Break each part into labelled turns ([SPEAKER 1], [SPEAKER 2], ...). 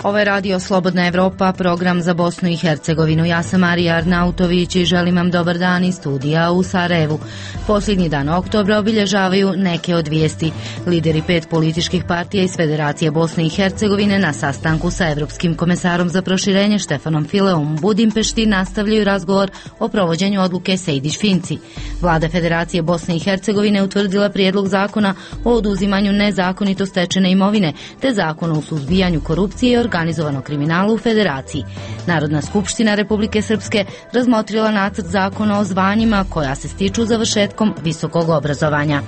[SPEAKER 1] Ovo je radio Slobodna Evropa, program za Bosnu i Hercegovinu. Ja sam Marija Arnautović i želim vam dobar dan iz studija u Sarajevu. Posljednji dan oktobra obilježavaju neke od vijesti. Lideri 5 političkih partija iz Federacije Bosne i Hercegovine na sastanku sa Evropskim komesarom za proširenje Štefanom Fileom u Budimpešti nastavljaju razgovor o provođenju odluke Sejdić-Finci. Vlada Federacije Bosne i Hercegovine utvrdila prijedlog zakona o oduzimanju nezakonito stečene imovine, te zakona o suzbijanju korupcije i organizovanog kriminala u Federaciji. Narodna skupština Republike Srpske razmotrila nacrt zakona o zvanjima koja se stiču završetkom visokog obrazovanja.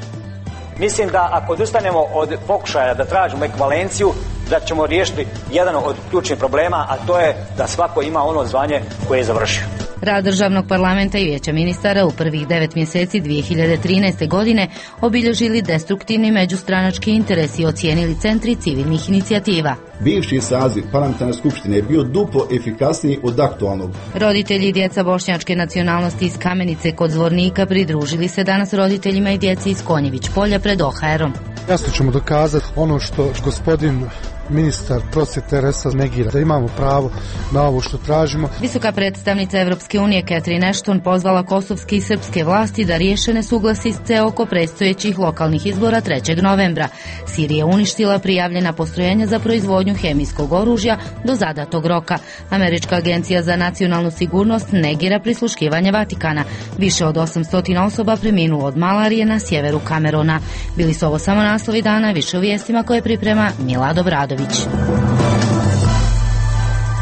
[SPEAKER 2] Mislim da ako odustanemo od pokušaja da tražimo ekvivalenciju, da ćemo riješiti jedan od ključnih problema, a to je da svako ima ono zvanje koje je završio.
[SPEAKER 1] Rad Državnog parlamenta i Vijeća ministara u prvih 9 mjeseci 2013. godine obilježili destruktivni međustranački interes i ocijenili centri civilnih inicijativa.
[SPEAKER 3] Bivši saziv parlamentarne skupštine je bio duplo efikasniji od aktualnog.
[SPEAKER 1] Roditelji i djeca bošnjačke nacionalnosti iz Kamenice kod Zvornika pridružili se danas roditeljima i djeci iz Konjević polja pred OHR-om.
[SPEAKER 4] Jasno ćemo dokazati ono što gospodin ministar prosvjete Resa negira, da imamo pravo na ovo što tražimo.
[SPEAKER 1] Visoka predstavnica Evropske unije Catherine Ashton pozvala kosovske i srpske vlasti da riješe nesuglasice oko predstojećih lokalnih izbora 3. novembra. Sirija uništila prijavljena postrojenja za proizvodnju hemijskog oružja do zadatog roka. Američka agencija za nacionalnu sigurnost negira prisluškivanje Vatikana. Više od 800 osoba preminulo od malarije na sjeveru Kamerona. Bili su ovo samo naslovi dana, više u vijestima koje priprema Milado Bradović.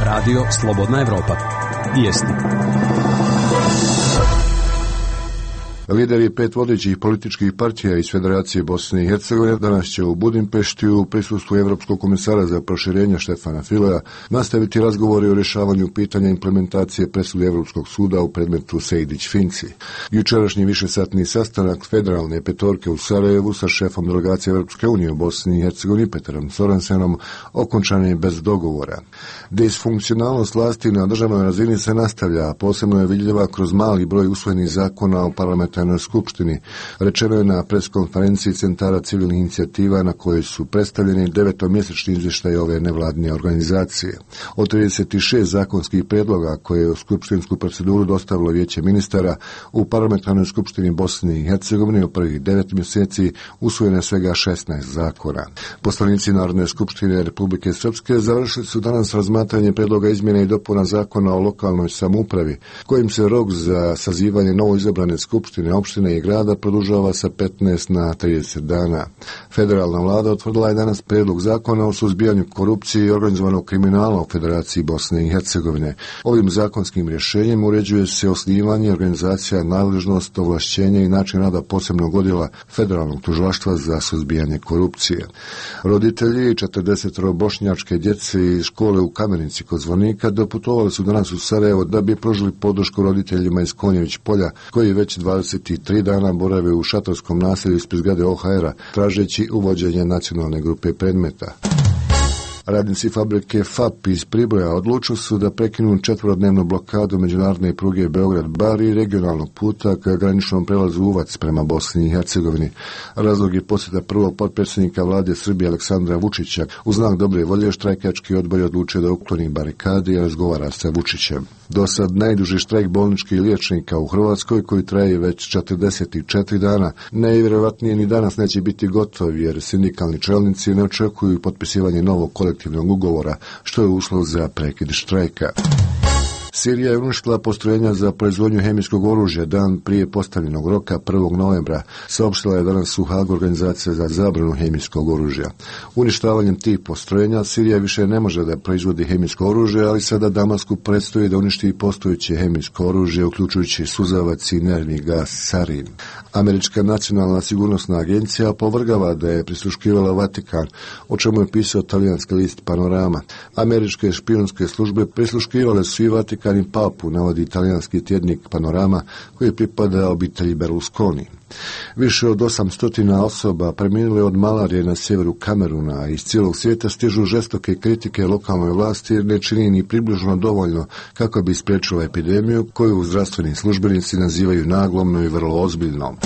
[SPEAKER 5] Radio Slobodna Evropa. Vijesti.
[SPEAKER 6] Lideri 5 vodećih političkih partija iz Federacije Bosne i Hercegovine danas će u Budimpešti u prisustvu Evropskog komesara za proširenje Štefana Filea nastaviti razgovori o rješavanju pitanja implementacije presude Evropskog suda u predmetu Sejdić-Finci. Jučerašnji višesatni sastanak federalne petorke u Sarajevu sa šefom delegacije Evropske unije u Bosni i Hercegovini Peterom Sorensenom okončan je bez dogovora. Disfunkcionalnost vlasti na državnoj razini se nastavlja, posebno je vidljiva kroz mali broj usvojenih zakona o parlamentarnoj skupštini, rečeno je na preskonferenciji centara civilnih inicijativa na kojoj su predstavljeni 9-mjesečni izvještaj ove nevladine organizacije. Od 36 zakonskih predloga koje je u skupštinsku proceduru dostavilo Vijeće ministara, u parlamentarnoj skupštini Bosne i Hercegovine u prvih 9 mjeseci usvojene svega 16 zakona. Poslanici Narodne skupštine Republike Srpske završili su danas razmatranje predloga izmjene i dopuna zakona o lokalnoj samoupravi, kojim se rok za sazivanje novoizabrane skupštine opštine i grada produžava sa 15 na 30 dana. Federalna vlada utvrdila je danas predlog zakona o suzbijanju korupcije i organizovanog kriminala u Federaciji Bosne i Hercegovine. Ovim zakonskim rješenjem uređuje se osnivanje organizacija, nadležnost, ovlašćenje i način rada posebnog odjela Federalnog tužilaštva za suzbijanje korupcije. Roditelji 40 bošnjačke djece iz škole u Kamenici kod Zvornika doputovali su danas u Sarajevo da bi pružili podršku roditeljima iz Konjević polja koji već 23 dana borave u šatorskom naselju ispred zgrade OHR-a, tražeći uvođenje nacionalne grupe predmeta. Radnici fabrike FAP iz Priboja odlučili su da prekinu 4-dnevnu blokadu međunarodne pruge Beograd-Bar i regionalnog puta ka graničnom prelazu Uvac prema Bosni i Hercegovini. Razlog je posjeta prvog potpredsjednika vlade Srbije Aleksandra Vučića. U znak dobre volje štrajkački odbor je odlučio da ukloni barikade i razgovara sa Vučićem. Do sad najduži štrajk bolničkih liječnika u Hrvatskoj, koji traje već 44 dana, najvjerojatnije ni danas neće biti gotov, jer sindikalni čelnici ne očekuju potpisivanje novog kolektivnog ugovora, što je uslov za prekid štrajka. Sirija je uništila postrojenja za proizvodnju hemijskog oružja dan prije postavljenog roka 1. novembra, saopštila je danas u Hagu organizacija za zabranu hemijskog oružja. Uništavanjem tih postrojenja Sirija više ne može da proizvodi hemijsko oružje, ali sada Damasku predstoji da uništi postojeće hemijsko oružje, uključujući suzavac i nervni gas sarin. Američka nacionalna sigurnosna agencija opovrgava da je prisluškivala Vatikan, o čemu je pisao talijanski list Panorama. Američke špijunske službe prisluškivale su i Vatikan i papu, navodi italijanski tjednik Panorama, koji pripada obitelji Berlusconi. Više od 800 osoba preminulo je od malarije na sjeveru Kameruna, a iz cijelog svijeta stižu žestoke kritike lokalnoj vlasti jer ne čini ni približno dovoljno kako bi spriječila epidemiju koju zdravstveni službenici nazivaju naglomno i vrlo ozbiljnom.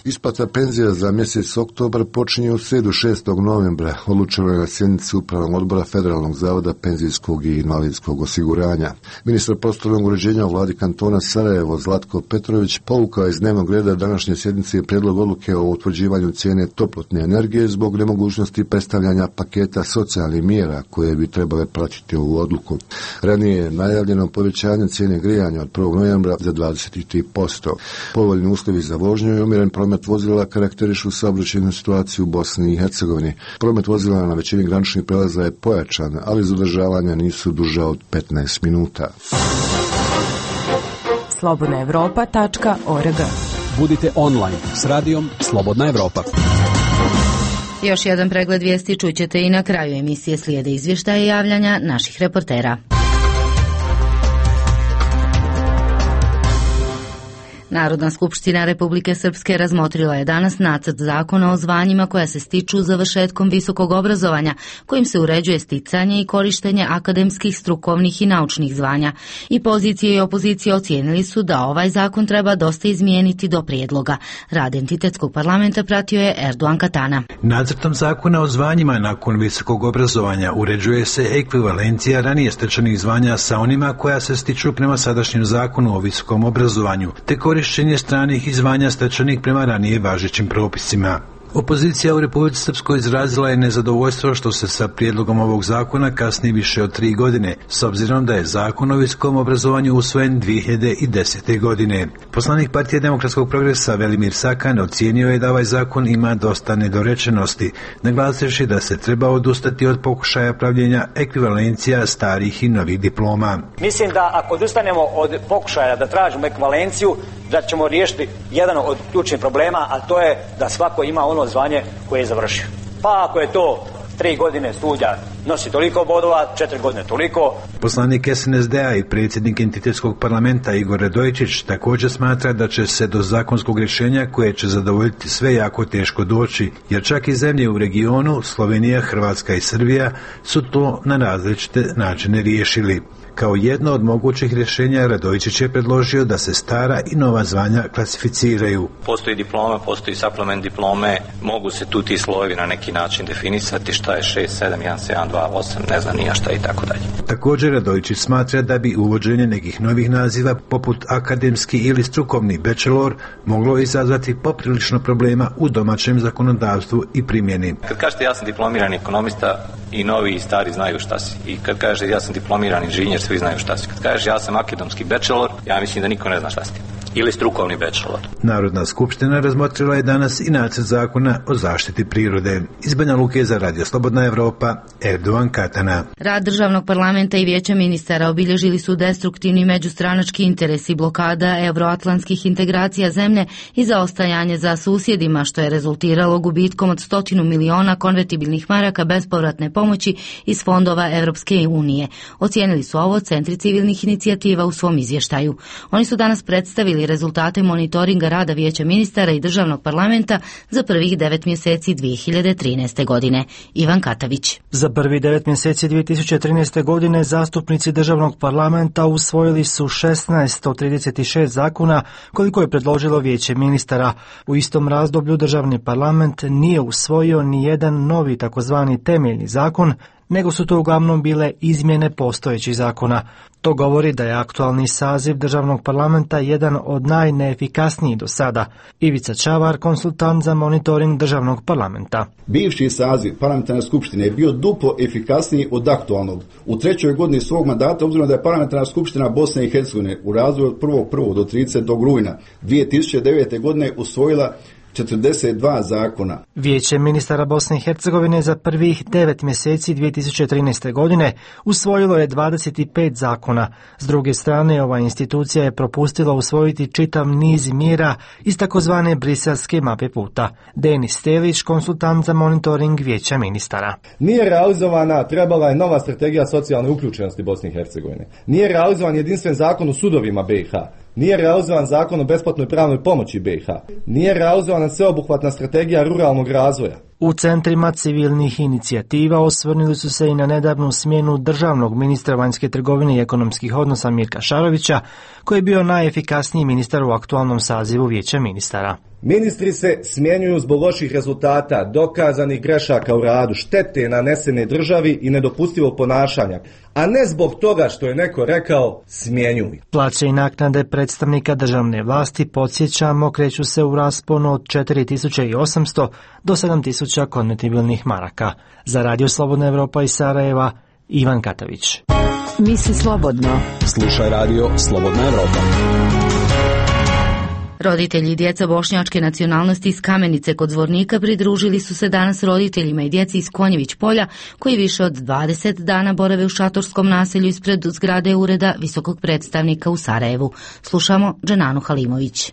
[SPEAKER 6] Isplata penzija za mjesec oktobar počinje u srijedu 6. novembra, odlučeno je na sjednici Upravnog odbora Federalnog zavoda penzijskog i invalidskog osiguranja. Ministar prostornog uređenja u vladi kantona Sarajevo Zlatko Petrović povukao iz dnevnog reda današnje sjednice prijedlog odluke o utvrđivanju cijene toplotne energije zbog nemogućnosti predstavljanja paketa socijalnih mjera koje bi trebale pratiti ovu odluku. Ranije je najavljeno povećanje cijene grijanja od 1. novembra za 23%. Povoljni uslovi za vožnju i umjeren promet vozila karakterišu saobraćajnu situaciju u Bosni i Hercegovini. Promet vozila na većini graničnih prelaza je pojačan, ali zadržavanja nisu duža od 15 minuta.
[SPEAKER 7] slobodnaevropa.org.
[SPEAKER 5] Budite online s radijom Slobodna Evropa.
[SPEAKER 1] Još jedan pregled vijesti čućete i na kraju emisije, slijede izvještaje i javljanja naših reportera. Narodna skupština Republike Srpske razmotrila je danas nacrt zakona o zvanjima koja se stiču završetkom visokog obrazovanja, kojim se uređuje sticanje i korištenje akademskih, strukovnih i naučnih zvanja. I pozicije i opozicije ocijenili su da ovaj zakon treba dosta izmijeniti do prijedloga. Rad entitetskog parlamenta pratio je Erdogan Katana.
[SPEAKER 8] Nacrtom zakona o zvanjima nakon visokog obrazovanja uređuje se ekvivalencija ranije stečenih zvanja sa onima koja se stiču prema sadašnjem zakonu o visokom obrazovanju, te korištenje stranih zvanja stečenih prema ranije važećim propisima. Opozicija u Republici Srpskoj izrazila je nezadovoljstvo što se sa prijedlogom ovog zakona kasni više od 3 godine, s obzirom da je zakon o visokom obrazovanju usvojen 2010. godine. Poslanik Partije demokratskog progresa Velimir Sakan ocijenio je da ovaj zakon ima dosta nedorečenosti, naglasivši da se treba odustati od pokušaja pravljenja ekvivalencija starih i novih diploma.
[SPEAKER 2] Mislim da ako odustanemo od pokušaja da tražimo ekvivalenciju, da ćemo riješiti jedan od ključnih problema, a to je da svako ima ono zvanje koje je završio. Pa ako je to 3 godine studija nosi toliko bodova, 4 godine toliko.
[SPEAKER 8] Poslanik SNSD-a i predsjednik entitetskog parlamenta Igor Radojičić također smatra da će se do zakonskog rješenja koje će zadovoljiti sve jako teško doći, jer čak i zemlje u regionu, Slovenija, Hrvatska i Srbija, su to na različite načine riješili. Kao jedno od mogućih rješenja Radojičić je predložio da se stara i nova zvanja klasificiraju.
[SPEAKER 9] Postoji diploma, postoji supplement diplome, mogu se tu ti slojevi na neki način definisati šta je 6, 7, 1, 7, 2, 8, ne znam nija šta i tako dalje.
[SPEAKER 8] Također Radojičić smatra da bi uvođenje nekih novih naziva poput akademski ili strukovni bachelor moglo izazvati poprilično problema u domaćem zakonodavstvu i primjeni.
[SPEAKER 9] Kad kažete ja sam diplomirani ekonomista, i novi i stari znaju šta si. I kad kažete ja sam diplomirani inženjer, svi znaju šta si. Kad kažeš ja sam akademski bachelor, ja mislim da niko ne zna šta si. Ili strukovni bachelor.
[SPEAKER 8] Narodna skupština razmotrila je danas i nacrt zakona o zaštiti prirode. Iz Banja Luke za Radio Slobodna Evropa, Erdogan Katana.
[SPEAKER 1] Rad državnog parlamenta i vijeća ministara obilježili su destruktivni međustranački interesi, blokada euroatlantskih integracija zemlje i zaostajanje za susjedima, što je rezultiralo gubitkom od 100 miliona konvertibilnih maraka bespovratne pomoći iz fondova Evropske unije. Ocijenili su ovo centri civilnih inicijativa u svom izvještaju. Oni su danas predstavili rezultate monitoringa rada vijeća ministara i državnog parlamenta za prvih 9 mjeseci 2013. godine. Ivan Katavić.
[SPEAKER 10] Za prvi 9 mjeseci 2013. godine zastupnici državnog parlamenta usvojili su 16 od 36 zakona koliko je predložilo vijeće ministara. U istom razdoblju državni parlament nije usvojio ni jedan novi takozvani temeljni zakon, nego su to uglavnom bile izmjene postojećih zakona. To govori da je aktualni saziv državnog parlamenta jedan od najneefikasnijih do sada. Ivica Čavar, konsultant za monitoring državnog parlamenta.
[SPEAKER 3] Bivši saziv parlamentarne skupštine je bio duplo efikasniji od aktualnog. U 3. godini svog mandata, obzirom da je parlamentarna skupština Bosne i Hercegovine u razdoblju od 1.1. do 30. rujna 2009. godine usvojila 42 zakona.
[SPEAKER 10] Vijeće ministara Bosne i Hercegovine za prvih 9 mjeseci 2013. godine usvojilo je 25 zakona. S druge strane, ova institucija je propustila usvojiti čitav niz mjera iz takozvane briselske mape puta. Denis Stelić, konsultant za monitoring vijeća ministara.
[SPEAKER 11] Nije realizovana, trebala je nova strategija socijalne uključenosti Bosne i Hercegovine. Nije realizovan jedinstven zakon o sudovima BiH. Nije realizovan zakon o besplatnoj pravnoj pomoći BiH. Nije realizovana sveobuhvatna strategija ruralnog razvoja.
[SPEAKER 10] U centrima civilnih inicijativa osvrnuli su se i na nedavnu smjenu državnog ministra vanjske trgovine i ekonomskih odnosa Mirka Šarovića, koji je bio najefikasniji ministar u aktualnom sazivu Vijeća ministara.
[SPEAKER 11] Ministri se smjenjuju zbog loših rezultata, dokazanih grešaka u radu, štete nanesene državi i nedopustivog ponašanja, a ne zbog toga što je neko rekao smjenjuj.
[SPEAKER 10] Plaće i naknade predstavnika državne vlasti, podsjećamo, kreću se u rasponu od 4.800 do 7.000 konvertibilnih maraka. Za Radio Slobodna Evropa iz Sarajeva, Ivan Katavić.
[SPEAKER 5] Misli slobodno. Slušaj Radio Slobodna Evropa.
[SPEAKER 1] Roditelji i djeca bošnjačke nacionalnosti iz Kamenice kod Zvornika pridružili su se danas roditeljima i djeci iz Konjević polja, koji više od 20 dana borave u šatorskom naselju ispred zgrade ureda visokog predstavnika u Sarajevu. Slušamo Dženanu Halimović.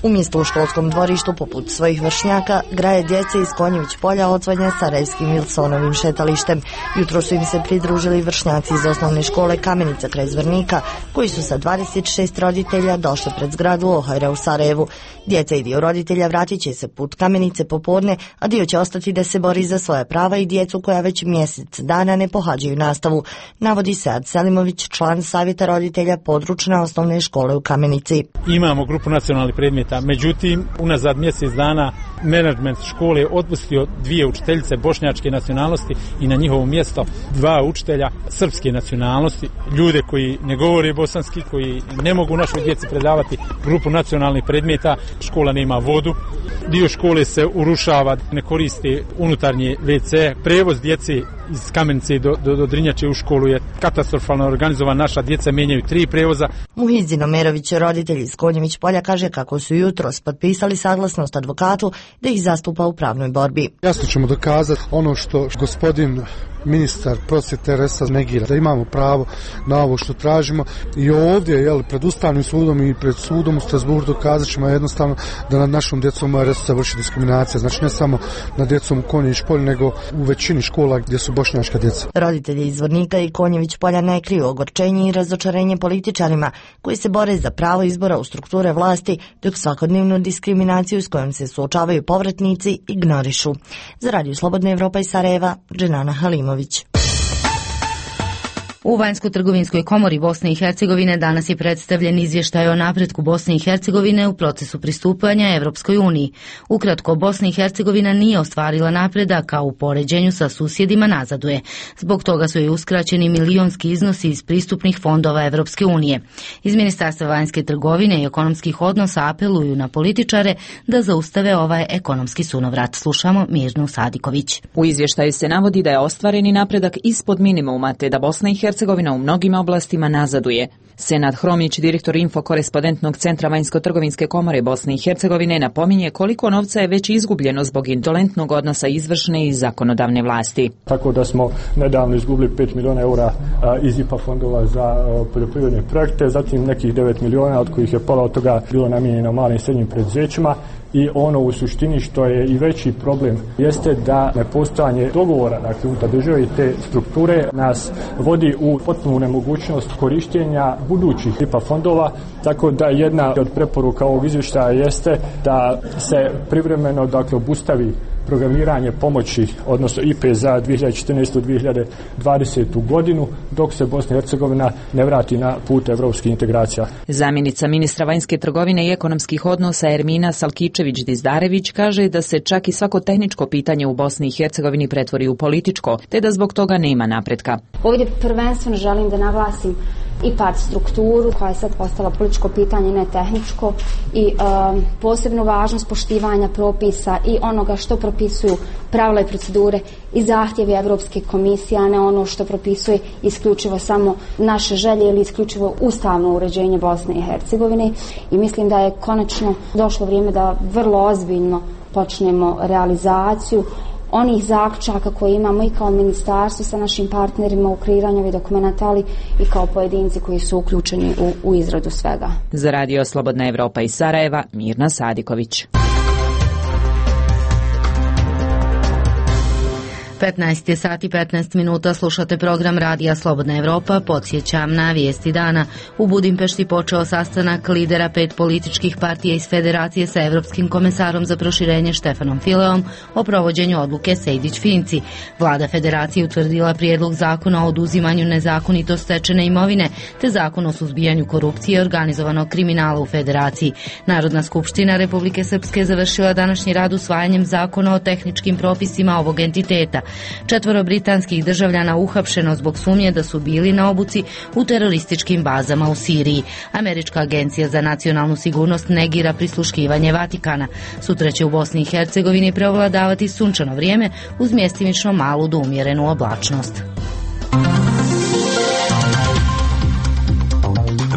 [SPEAKER 7] Umjesto u školskom dvorištu poput svojih vršnjaka, graje djece iz Konjević polja odzvanja Sarajevskim Wilsonovim šetalištem. Jutro su im se pridružili vršnjaci iz osnovne škole Kamenica kraj Zvornika, koji su sa 26 roditelja došli pred zgradu Ohajra u Sarajevu. Djeca i dio roditelja vratit će se put Kamenice popodne, a dio će ostati da se bori za svoja prava i djecu koja već mjesec dana ne pohađaju nastavu, navodi Sead Selimović, član savjeta roditelja područne osnovne škole u Kamenici.
[SPEAKER 12] Imamo grupu nacionalnih predmeta, međutim, unazad mjesec dana menadžment škole je otpustio 2 učiteljice bošnjačke nacionalnosti i na njihovo mjesto 2 učitelja srpske nacionalnosti, ljude koji ne govore bosanski, koji ne mogu našoj djeci predavati grupu nacionalnih predmeta. Škola nema vodu, dio škole se urušava, ne koriste unutarnje WC, prevoz djece iz Kamenice do Drinjače u školu je katastrofalno organizovan, naša djeca menjaju 3 prevoza.
[SPEAKER 7] Muhizdin Omerović, roditelj iz Konjević polja, kaže kako su jutros potpisali saglasnost advokatu da ih zastupa u pravnoj borbi.
[SPEAKER 4] Jasno ćemo dokazati ono što gospodin ministar prosvjete Resa negira, da imamo pravo na ovo što tražimo i ovdje pred Ustavnim sudom i pred sudom u Strasbourgu dokazat ćemo jednostavno da nad našom djecom se vrši diskriminacija, znači ne samo nad djecom u Konjević polju, nego u većini škola gdje su bošnjačka djeca.
[SPEAKER 7] Roditelji iz Zvornika i Konjević polja ne kriju ogorčenje i razočarenje političarima koji se bore za pravo izbora u strukture vlasti, dok svakodnevnu diskriminaciju s kojom se suočavaju povratnici ignorišu. Za Radio Slobodna Evropa iz Sarajeva, Dženana Halimović.
[SPEAKER 1] U Vanjsko-trgovinskoj komori Bosne i Hercegovine danas je predstavljen izvještaj o napretku Bosne i Hercegovine u procesu pristupanja Evropskoj uniji. Ukratko, Bosna i Hercegovina nije ostvarila napredak, a u poređenju sa susjedima nazaduje. Zbog toga su joj uskraćeni milionski iznosi iz pristupnih fondova Evropske unije. Iz Ministarstva vanjske trgovine i ekonomskih odnosa apeluju na političare da zaustave ovaj ekonomski sunovrat. Slušamo Mirnu Sadiković.
[SPEAKER 13] U izvještaju se navodi da je ostvareni napredak ispod minimuma, te da Bosna i Hercegovina u mnogim oblastima nazaduje. Senad Hromić, direktor Info-korespondentnog centra Vanjsko-trgovinske komore Bosne i Hercegovine, napominje koliko novca je već izgubljeno zbog indolentnog odnosa izvršne i zakonodavne vlasti.
[SPEAKER 14] Tako da smo nedavno izgubili 5 miliona eura iz IPA fondova za poljoprivredne projekte, zatim nekih 9 miliona, od kojih je pola od toga bilo namijenjeno malim i srednjim preduzećima. I ono u suštini što je i veći problem jeste da nepostojanje dogovora unutar države i te strukture nas vodi u potpunu nemogućnost korištenja budućih IPA fondova, tako da jedna od preporuka ovog izvještaja jeste da se privremeno obustavi programiranje pomoći, odnosno IPE za 2014-2020 godinu, dok se Bosna i Hercegovina ne vrati na put evropskih integracija.
[SPEAKER 13] Zamjenica ministra vanjske trgovine i ekonomskih odnosa Ermina Salkičević-Dizdarević kaže da se čak i svako tehničko pitanje u Bosni i Hercegovini pretvori u političko, te da zbog toga nema napretka.
[SPEAKER 15] Ovdje prvenstveno želim da naglasim IPART strukturu koja je sad postala političko pitanje, ne tehničko, i posebnu važnost poštivanja propisa i onoga što propisuju pravila i procedure i zahtjevi Evropske komisije, a ne ono što propisuje isključivo samo naše želje ili isključivo ustavno uređenje Bosne i Hercegovine. I mislim da je konačno došlo vrijeme da vrlo ozbiljno počnemo realizaciju onih zaključaka koje imamo i kao ministarstvo sa našim partnerima u kreiranju ovih dokumenata, ali i kao pojedinci koji su uključeni u izradu svega.
[SPEAKER 13] Za Radio Slobodna Evropa iz Sarajeva, Mirna Sadiković.
[SPEAKER 1] 15 sati 15 minuta, slušate program Radija Slobodna Evropa. Podsjećam na vijesti dana. U Budimpešti počeo sastanak lidera 5 političkih partija iz Federacije sa Evropskim komesarom za proširenje Štefanom Fileom o provođenju odluke Sejdić-Finci. Vlada Federacije utvrdila prijedlog zakona o oduzimanju nezakonito stečene imovine te zakon o suzbijanju korupcije i organizovanog kriminala u Federaciji. Narodna skupština Republike Srpske završila današnji rad usvajanjem zakona o tehničkim propisima ovog entiteta. 4 britanskih državljana uhapšeno zbog sumnje da su bili na obuci u terorističkim bazama u Siriji. Američka agencija za nacionalnu sigurnost negira prisluškivanje Vatikana. Sutra će u Bosni i Hercegovini preovladavati sunčano vrijeme uz mjestimično malu do umjerenu oblačnost.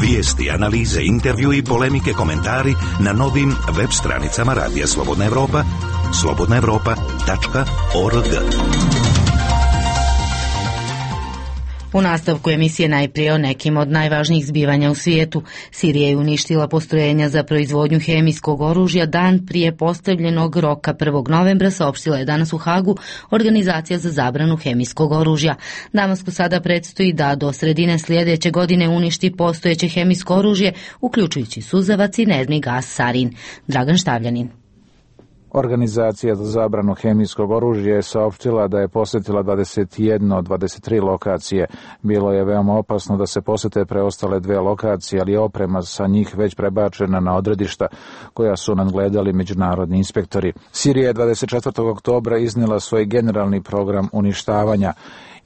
[SPEAKER 16] Vijesti, analize, intervju i polemike, komentari na novim web stranicama Radija Slobodna Evropa, slobodnaevropa.org.
[SPEAKER 1] U nastavku emisije najprije o nekim od najvažnijih zbivanja u svijetu. Sirija je uništila postrojenja za proizvodnju hemijskog oružja dan prije postavljenog roka 1. novembra, saopštila je danas u Hagu Organizacija za zabranu hemijskog oružja. Damasku sada predstoji da do sredine sljedeće godine uništi postojeće hemijsko oružje, uključujući suzavac i nervni gas sarin. Dragan Štavljanin.
[SPEAKER 17] Organizacija za zabranu hemijskog oružja je saopštila da je posjetila 21 od 23 lokacije. Bilo je veoma opasno da se posjete preostale 2 lokacije, ali je oprema sa njih već prebačena na odredišta koja su nadgledali međunarodni inspektori. Sirija je 24. oktobra iznijela svoj generalni program uništavanja.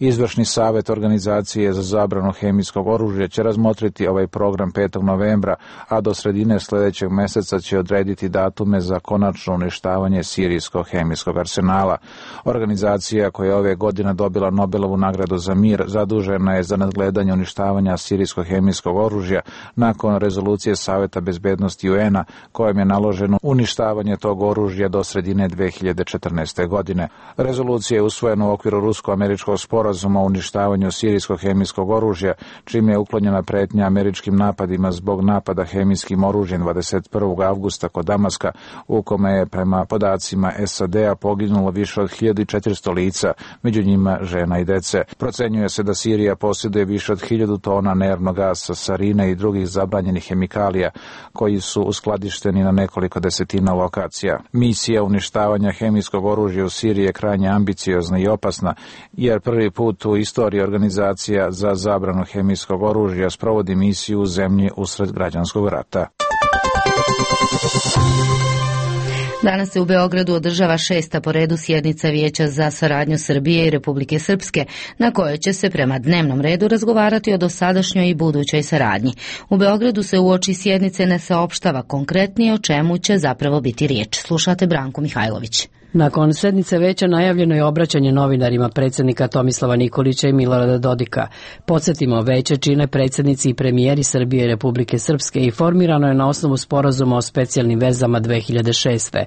[SPEAKER 17] Izvršni savjet Organizacije za zabranu hemijskog oružja će razmotriti ovaj program 5. novembra, a do sredine sljedećeg mjeseca će odrediti datume za konačno uništavanje sirijskog hemijskog arsenala. Organizacija koja je ove godine dobila Nobelovu nagradu za mir zadužena je za nadgledanje uništavanja sirijskog hemijskog oružja nakon rezolucije Savjeta bezbednosti UN-a kojom je naloženo uništavanje tog oružja do sredine 2014. godine. Rezolucija je usvojena u okviru rusko-američkog sporazuma o uništavanju sirijskog hemijskog oružja, čime je uklonjena pretnja američkim napadima zbog napada hemijskim oružjem 21. avgusta kod Damaska, u kome je prema podacima SAD-a poginulo više od 1400 lica, među njima žena i dece. Procenjuje se da Sirija posjeduje više od 1000 tona nervnog gasa, sarine i drugih zabranjenih hemikalija koji su uskladišteni na nekoliko desetina lokacija. Misija uništavanja hemijskog oružja u Siriji je krajnje ambiciozna i opasna, jer prvi put u istoriji Organizacija za zabranu hemijskog oružja sprovodi misiju u zemlji usred građanskog rata.
[SPEAKER 1] Danas se u Beogradu održava 6. po redu sjednica Vijeća za saradnju Srbije i Republike Srpske, na kojoj će se prema dnevnom redu razgovarati o dosadašnjoj i budućoj saradnji. U Beogradu se uoči sjednice ne saopštava konkretnije o čemu će zapravo biti riječ. Slušate Branku Mihajlović.
[SPEAKER 18] Nakon sednice veća najavljeno je obraćanje novinarima predsjednika Tomislava Nikolića i Milorada Dodika. Podsjetimo, veće čine predsjednici i premijeri Srbije i Republike Srpske i formirano je na osnovu sporazuma o specijalnim vezama 2006.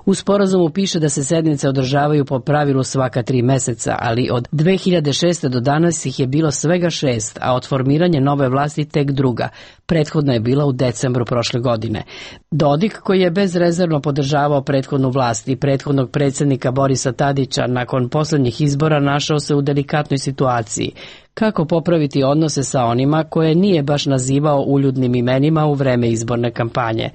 [SPEAKER 18] U sporazumu piše da se sednice održavaju po pravilu svaka 3 mjeseca, ali od 2006. do danas ih je bilo svega 6, a od formiranja nove vlasti tek druga. Prethodna je bila u decembru prošle godine. Dodik, koji je bezrezervno podržavao prethodnu vlast i prethodnog predsjednika Borisa Tadića, nakon posljednjih izbora našao se u delikatnoj situaciji. Kako popraviti odnose sa onima koje nije baš nazivao uljudnim imenima u vreme izborne kampanje?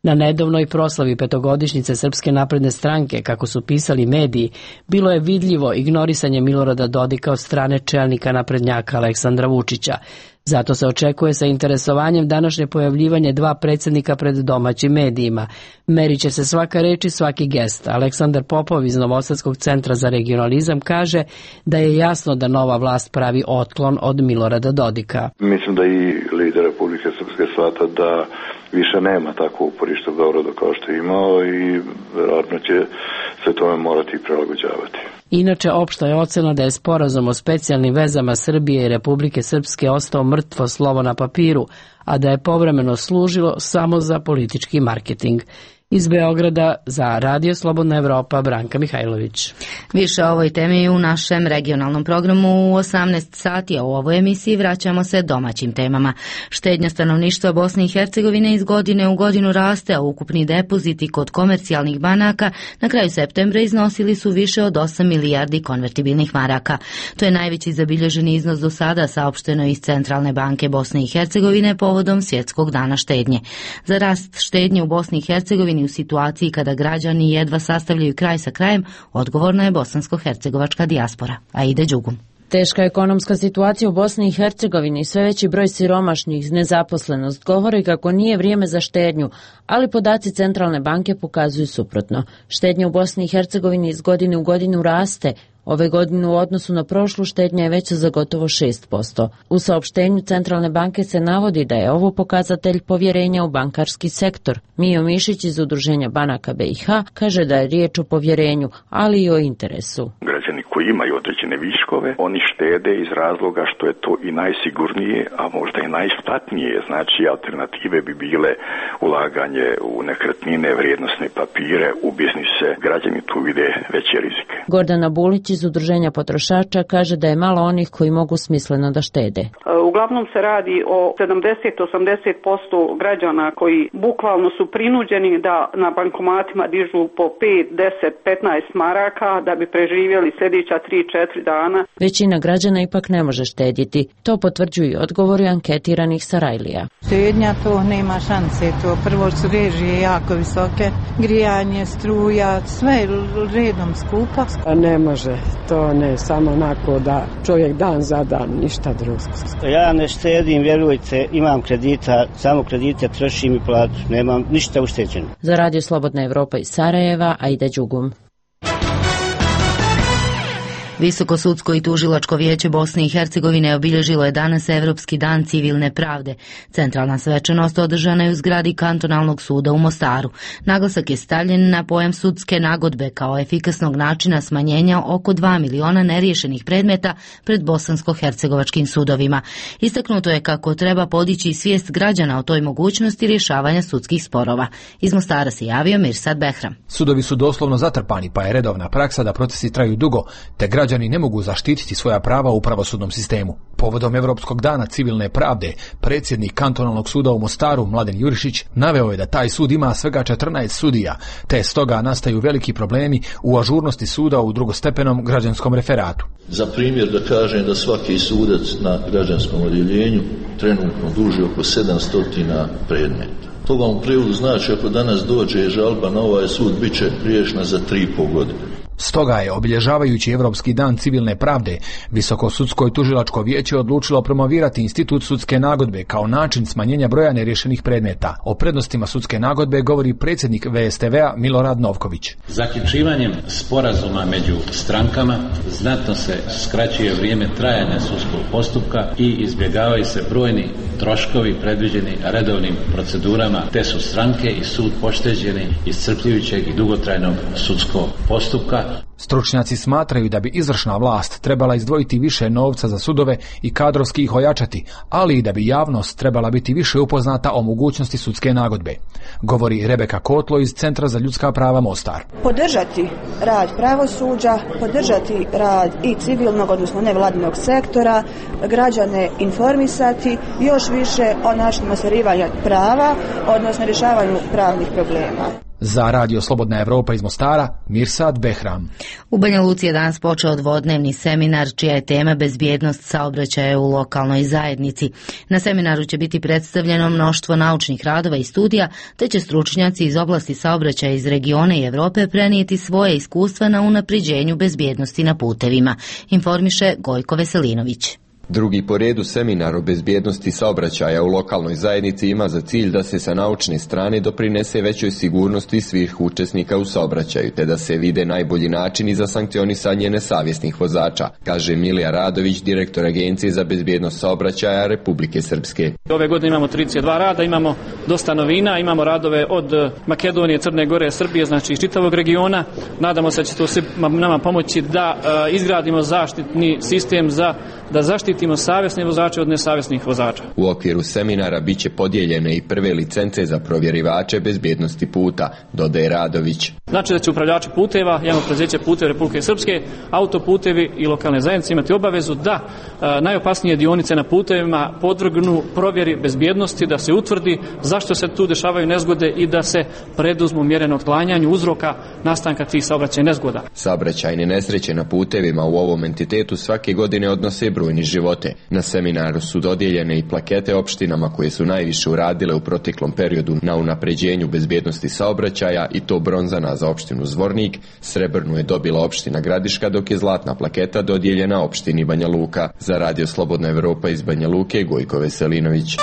[SPEAKER 18] Na nedavnoj proslavi 5-godišnjice Srpske napredne stranke, kako su pisali mediji, bilo je vidljivo ignorisanje Milorada Dodika od strane čelnika naprednjaka Aleksandra Vučića. Zato se očekuje sa interesovanjem današnje pojavljivanje 2 predsjednika pred domaćim medijima. Merit će se svaka reč i svaki gest. Aleksandar Popov iz Novosadskog centra za regionalizam kaže da je jasno da nova vlast pravi otklon od Milorada Dodika.
[SPEAKER 19] Mislim da i lider Republike Srpske shvata da više nema takvo uporište u Beogradu kao što je imao i vjerojatno će se tome morati prilagođavati.
[SPEAKER 18] Inače, opšta je ocena da je sporazum o specijalnim vezama Srbije i Republike Srpske ostao mrtvo slovo na papiru, a da je povremeno služilo samo za politički marketing. Iz Beograda za Radio Slobodna Evropa Branka Mihajlović.
[SPEAKER 1] Više o ovoj temi u našem regionalnom programu u 18 sati, a u ovoj emisiji vraćamo se domaćim temama. Štednja stanovništva Bosne i Hercegovine iz godine u godinu raste, a ukupni depoziti kod komercijalnih banaka na kraju septembra iznosili su više od 8 milijardi konvertibilnih maraka. To je najveći zabilježeni iznos do sada, saopšteno iz Centralne banke Bosne i Hercegovine povodom Svjetskog dana štednje. Za rast štednje u Bosni i Hercegovini u situaciji kada građani jedva sastavljaju kraj sa krajem, odgovorna je bosansko-hercegovačka dijaspora. Aida Đugum.
[SPEAKER 20] Teška ekonomska situacija u Bosni i Hercegovini i sve veći broj siromašnih, nezaposlenost govori kako nije vrijeme za štednju, ali podaci Centralne banke pokazuju suprotno. Štednja u Bosni i Hercegovini iz godine u godinu raste. Ove godine u odnosu na prošlu štednja je veća za gotovo 6%. U saopštenju Centralne banke se navodi da je ovo pokazatelj povjerenja u bankarski sektor. Mijo Mišić iz Udruženja banaka BiH kaže da je riječ o povjerenju, ali i o interesu.
[SPEAKER 21] Građani koji imaju određene viškove, oni štede iz razloga što je to i najsigurnije, a možda i najisplatnije. Znači, alternative bi bile ulaganje u nekretnine, vrijednosne papire, u biznise. Građani tu vide veće rizike.
[SPEAKER 20] Gordana Bulić iz Udruženja potrošača kaže da je malo onih koji mogu smisleno da štede.
[SPEAKER 22] Uglavnom se radi o 70-80% građana koji bukvalno su prinuđeni da na bankomatima dižu po 5, 10, 15 maraka da bi preživjeli sljedeća 3-4 dana.
[SPEAKER 20] Većina građana ipak ne može štedjeti. To potvrđuju i odgovori anketiranih Sarajlija.
[SPEAKER 23] Štednja to nema šanse. To prvo su režije jako visoke, grijanje, struja, sve redom skupa.
[SPEAKER 24] Ne može. To ne, samo onako da čovjek dan za dan, ništa drugo.
[SPEAKER 25] Ja ne štedim, vjerujte, imam kredita, samo kredite trošim i platu, nemam ništa ušteđeno.
[SPEAKER 20] Za Radio Slobodna Evropa iz Sarajeva, Aida Đugum.
[SPEAKER 1] Visoko sudsko i tužilačko vijeće Bosne i Hercegovine obilježilo je danas Evropski dan civilne pravde. Centralna svečanost održana je u zgradi kantonalnog suda u Mostaru. Naglasak je stavljen na pojam sudske nagodbe kao efikasnog načina smanjenja oko 2 miliona neriješenih predmeta pred bosansko-hercegovačkim sudovima. Istaknuto je kako treba podići svijest građana o toj mogućnosti rješavanja sudskih sporova. Iz Mostara se javio Mirsad Behram.
[SPEAKER 26] Sudovi su doslovno zatrpani, pa je redovna praksa da procesi traju dugo, te građani ne mogu zaštititi svoja prava u pravosudnom sistemu. Povodom Evropskog dana civilne pravde, predsjednik kantonalnog suda u Mostaru, Mladen Jurišić, naveo je da taj sud ima svega 14 sudija, te stoga nastaju veliki problemi u ažurnosti suda u drugostepenom građanskom referatu.
[SPEAKER 27] Za primjer da kažem da svaki sudac na građanskom odjeljenju trenutno duži oko 700 predmeta. To vam u prijevodu znači ako danas dođe žalba na ovaj sud, bit će riješena za 3,5 godine.
[SPEAKER 26] Stoga je, obilježavajući Evropski dan civilne pravde, Visoko sudsko i tužilačko vijeće odlučilo promovirati institut sudske nagodbe kao način smanjenja broja neriješenih predmeta. O prednostima sudske nagodbe govori predsjednik VSTV-a Milorad Novković.
[SPEAKER 28] Zaključivanjem sporazuma među strankama znatno se skraćuje vrijeme trajanja sudskog postupka i izbjegavaju se brojni troškovi predviđeni redovnim procedurama, te su stranke i sud pošteđeni iscrpljujućeg i dugotrajnog sudskog postupka.
[SPEAKER 26] Stručnjaci smatraju da bi izvršna vlast trebala izdvojiti više novca za sudove i kadrovski ih ojačati, ali i da bi javnost trebala biti više upoznata o mogućnosti sudske nagodbe, govori Rebeka Kotlo iz Centra za ljudska prava Mostar.
[SPEAKER 29] Podržati rad pravosuđa, podržati rad i civilnog, odnosno nevladinog sektora, građane informisati još više o načinu ostvarivanja prava, odnosno rješavanju pravnih problema.
[SPEAKER 26] Za Radio Slobodna Evropa iz Mostara, Mirsad Behram.
[SPEAKER 1] U Banja Luci je danas počeo dvodnevni seminar čija je tema bezbjednost saobraćaja u lokalnoj zajednici. Na seminaru će biti predstavljeno mnoštvo naučnih radova i studija, te će stručnjaci iz oblasti saobraćaja iz regiona i Europe prenijeti svoje iskustva na unapređenju bezbjednosti na putevima, informiše Gojko Veselinović.
[SPEAKER 30] Drugi po redu seminar o bezbjednosti saobraćaja u lokalnoj zajednici ima za cilj da se sa naučne strane doprinese većoj sigurnosti svih učesnika u saobraćaju, te da se vide najbolji načini za sankcionisanje nesavjesnih vozača, kaže Milija Radović, direktor Agencije za bezbjednost saobraćaja Republike Srpske.
[SPEAKER 31] Ove godine imamo 32 rada, imamo dosta novina, imamo radove od Makedonije, Crne Gore, Srbije, znači iz čitavog regiona. Nadamo se da će to nama pomoći da izgradimo zaštitni sistem da zaštitimo odvojitimo savjesne vozače od nesavjesnih vozača.
[SPEAKER 30] U okviru seminara biće podijeljene i prve licence za provjerivače bezbjednosti puta, dodaje Radović.
[SPEAKER 31] Znači da će upravljači puteva, javno preduzeće Putevi Republike Srpske, autoputevi i lokalne zajednice imati obavezu da najopasnije dionice na putevima podvrgnu provjeri bezbjednosti, da se utvrdi zašto se tu dešavaju nezgode i da se preduzmu mjere na otklanjanju uzroka nastanka tih saobraćajnih nezgoda.
[SPEAKER 30] Saobraćajne nesreće na putevima u ovom entitetu svake godine odnose brojni živote. Na seminaru su dodijeljene i plakete opštinama koje su najviše uradile u proteklom periodu na unapređenju bezbjednosti saobraćaja, i to bronzana za opštinu Zvornik, srebrnu je dobila opština Gradiška, dok je zlatna plaketa dodijeljena opštini Banja Luka. Za Radio Slobodna Evropa iz Banja Luke, Gojko Veselinović.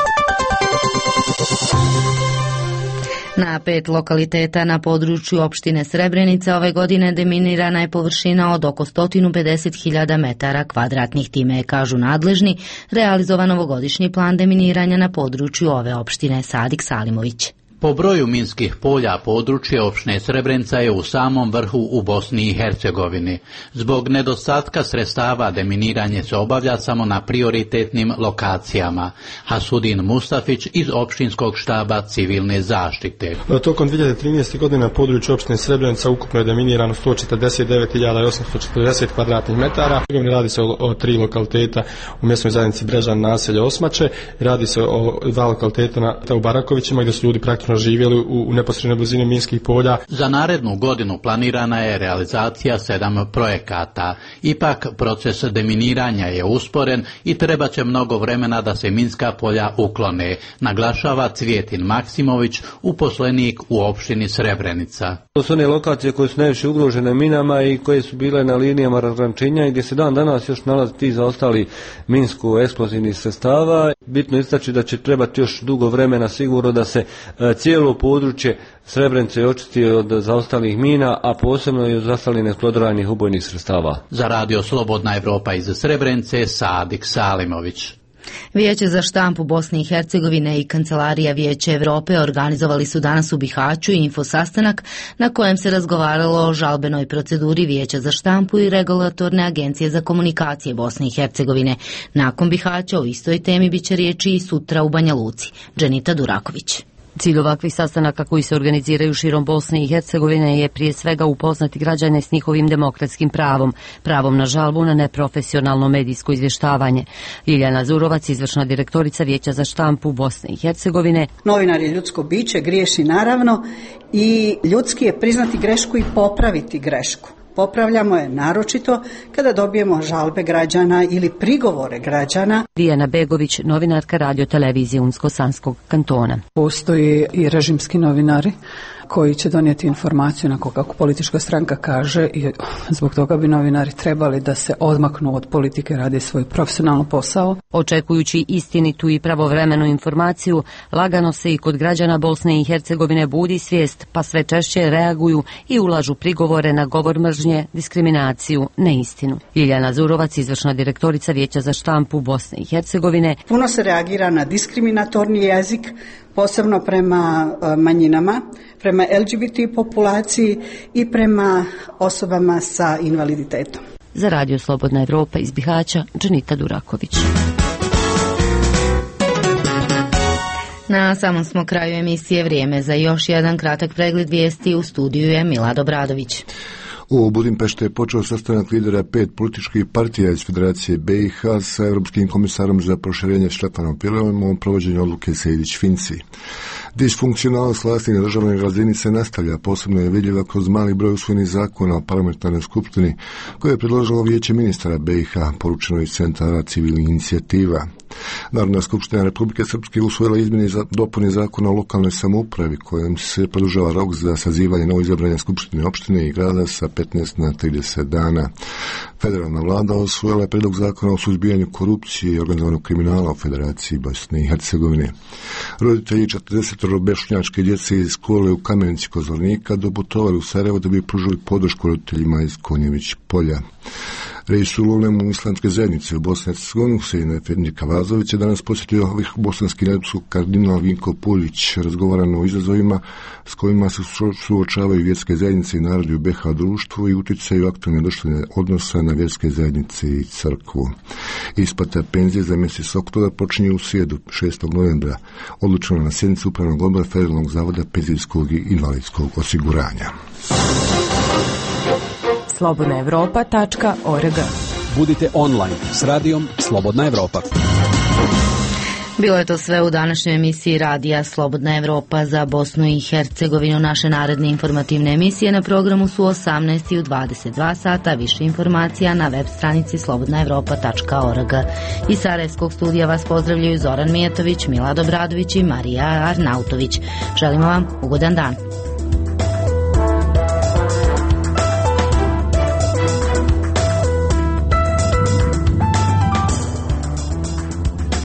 [SPEAKER 1] Na 5 lokaliteta na području opštine Srebrenica ove godine deminirana je površina od oko 150.000 metara kvadratnih. Time, kažu nadležni, realizovan ovogodišnji plan deminiranja na području ove opštine. Sadik Salimović.
[SPEAKER 2] Po broju minskih polja područje opštine Srebrenica je u samom vrhu u Bosni i Hercegovini. Zbog nedostatka sredstava deminiranje se obavlja samo na prioritetnim lokacijama. Hasudin Mustafić iz opštinskog štaba civilne zaštite.
[SPEAKER 3] Tokom 2013. godine na području opštine Srebrenica ukupno je deminirano 149.840 kvadratnih metara. Radi se o 3 lokaliteta u mjesnoj zajednici Brežan, naselje Osmače. Radi se o 2 lokaliteta u Barakovićima gdje su ljudi praktično živjeli u neposrednoj blizini minskih polja.
[SPEAKER 2] Za narednu godinu planirana je realizacija 7 projekata. Ipak proces deminiranja je usporen i treba će mnogo vremena da se minska polja uklone, naglašava Cvjetin Maksimović, uposlenik u opštini Srebrenica.
[SPEAKER 4] To su one lokacije koje su najviše ugrožene minama i koje su bile na linijama razgraničenja i gdje se dan danas još nalaze ti zaostali minsko-eksplozivnih sredstava. Bitno istaći da će trebati još dugo vremena sigurno da se cijelo područje Srebrenice očisti od zaostalih mina, a posebno i od zaostalih neeksplodirovanih ubojnih sredstava.
[SPEAKER 2] Za Radio Slobodna Evropa iz Srebrenice, Sadik Salimović.
[SPEAKER 1] Vijeće za štampu Bosne i Hercegovine i Kancelarija Vijeća Evrope organizovali su danas u Bihaću infosastanak na kojem se razgovaralo o žalbenoj proceduri Vijeća za štampu i Regulatorne agencije za komunikacije Bosne i Hercegovine. Nakon Bihaća o istoj temi biće riječi i sutra u Banja Luci. Dženita Duraković.
[SPEAKER 5] Cilj ovakvih sastanaka koji se organiziraju širom Bosne i Hercegovine je prije svega upoznati građane s njihovim demokratskim pravom na žalbu na neprofesionalno medijsko izvještavanje. Ljiljana Zurovac, izvršna direktorica Vijeća za štampu Bosne i Hercegovine.
[SPEAKER 6] Novinar je ljudsko biće, griješi naravno i ljudski je priznati grešku i popraviti grešku. Popravljamo je naročito kada dobijemo žalbe građana ili prigovore građana.
[SPEAKER 5] Dijana Begović, novinarka radio televizije Unsko-Sanskog kantona.
[SPEAKER 7] Postoji i režimski novinari koji će donijeti informaciju na kako politička stranka kaže i zbog toga bi novinari trebali da se odmaknu od politike, radi svoj profesionalno posao.
[SPEAKER 5] Očekujući istinitu i pravovremenu informaciju, lagano se i kod građana Bosne i Hercegovine budi svijest, pa sve češće reaguju i ulažu prigovore na govor mržnje, diskriminaciju, neistinu. Ljiljana Zurovac, izvršna direktorica Vijeća za štampu Bosne i Hercegovine.
[SPEAKER 6] Puno se reagira na diskriminatorni jezik, posebno prema manjinama, prema LGBT populaciji i prema osobama sa invaliditetom.
[SPEAKER 5] Za Radio Slobodna Evropa iz Bihaća, Dženita Duraković.
[SPEAKER 1] Na samom smo kraju emisije, vrijeme za još jedan kratak pregled vijesti. U studiju je Milad Obradović.
[SPEAKER 8] U Budimpešti je počeo sastanak lidera 5 političkih partija iz Federacije BiH sa Europskim komisarom za proširenje Štefanom Filevom o provođenju odluke Sejdić-Finci. Disfunkcionalnost vlasti na državnoj razini se nastavlja, posebno je vidljiva kroz mali broj usvojenih zakona o parlamentarnoj skupštini koje je predložilo Vijeće ministara BiH, poručeno iz centara civilnih inicijativa. Narodna skupština Republike Srpske usvojila izmjene i dopune zakona o lokalnoj samoupravi kojim se produžava rok za sazivanje novoizabrane skupštine opštine i grada sa 15 na 30 dana. Federalna vlada usvojila je predlog zakona o suzbijanju korupcije i organizovanog kriminala u Federaciji Bosne i Hercegovine. Roditelji 40 bošnjačke djece iz škole u Kamenici kod Zvornika doputovali u Sarajevo da bi pružili podršku roditeljima iz Konjević polja. Reisul ulemu islamske zajednice u Bosni i Hercegovini Husein Efendi Kavazović je danas posjetio bosanski nadbiskup kardinal Vinko Puljić. Razgovarano o izazovima s kojima se suočavaju vjerske zajednice i narodi u BiH društvu i utjecaju aktualne društvene odnosa na vjerske zajednice i crkvu. Isplata penzije za mjesec oktobra počinje u srijedu 6. novembra, odlučeno na sjednici Upravnog odbora Federalnog zavoda penzijskog i invalidskog osiguranja.
[SPEAKER 9] slobodnaevropa.org. Budite online s radijom Slobodna Evropa.
[SPEAKER 1] Bilo je to sve u današnjoj emisiji radija Slobodna Evropa za Bosnu i Hercegovinu. Naše naredne informativne emisije na programu su 18 i u 22 sata. Više informacija na web stranici slobodnaevropa.org. Iz Sarajevskog studija vas pozdravljaju Zoran Mijatović, Milad Obradović i Marija Arnautović. Želimo vam ugodan dan.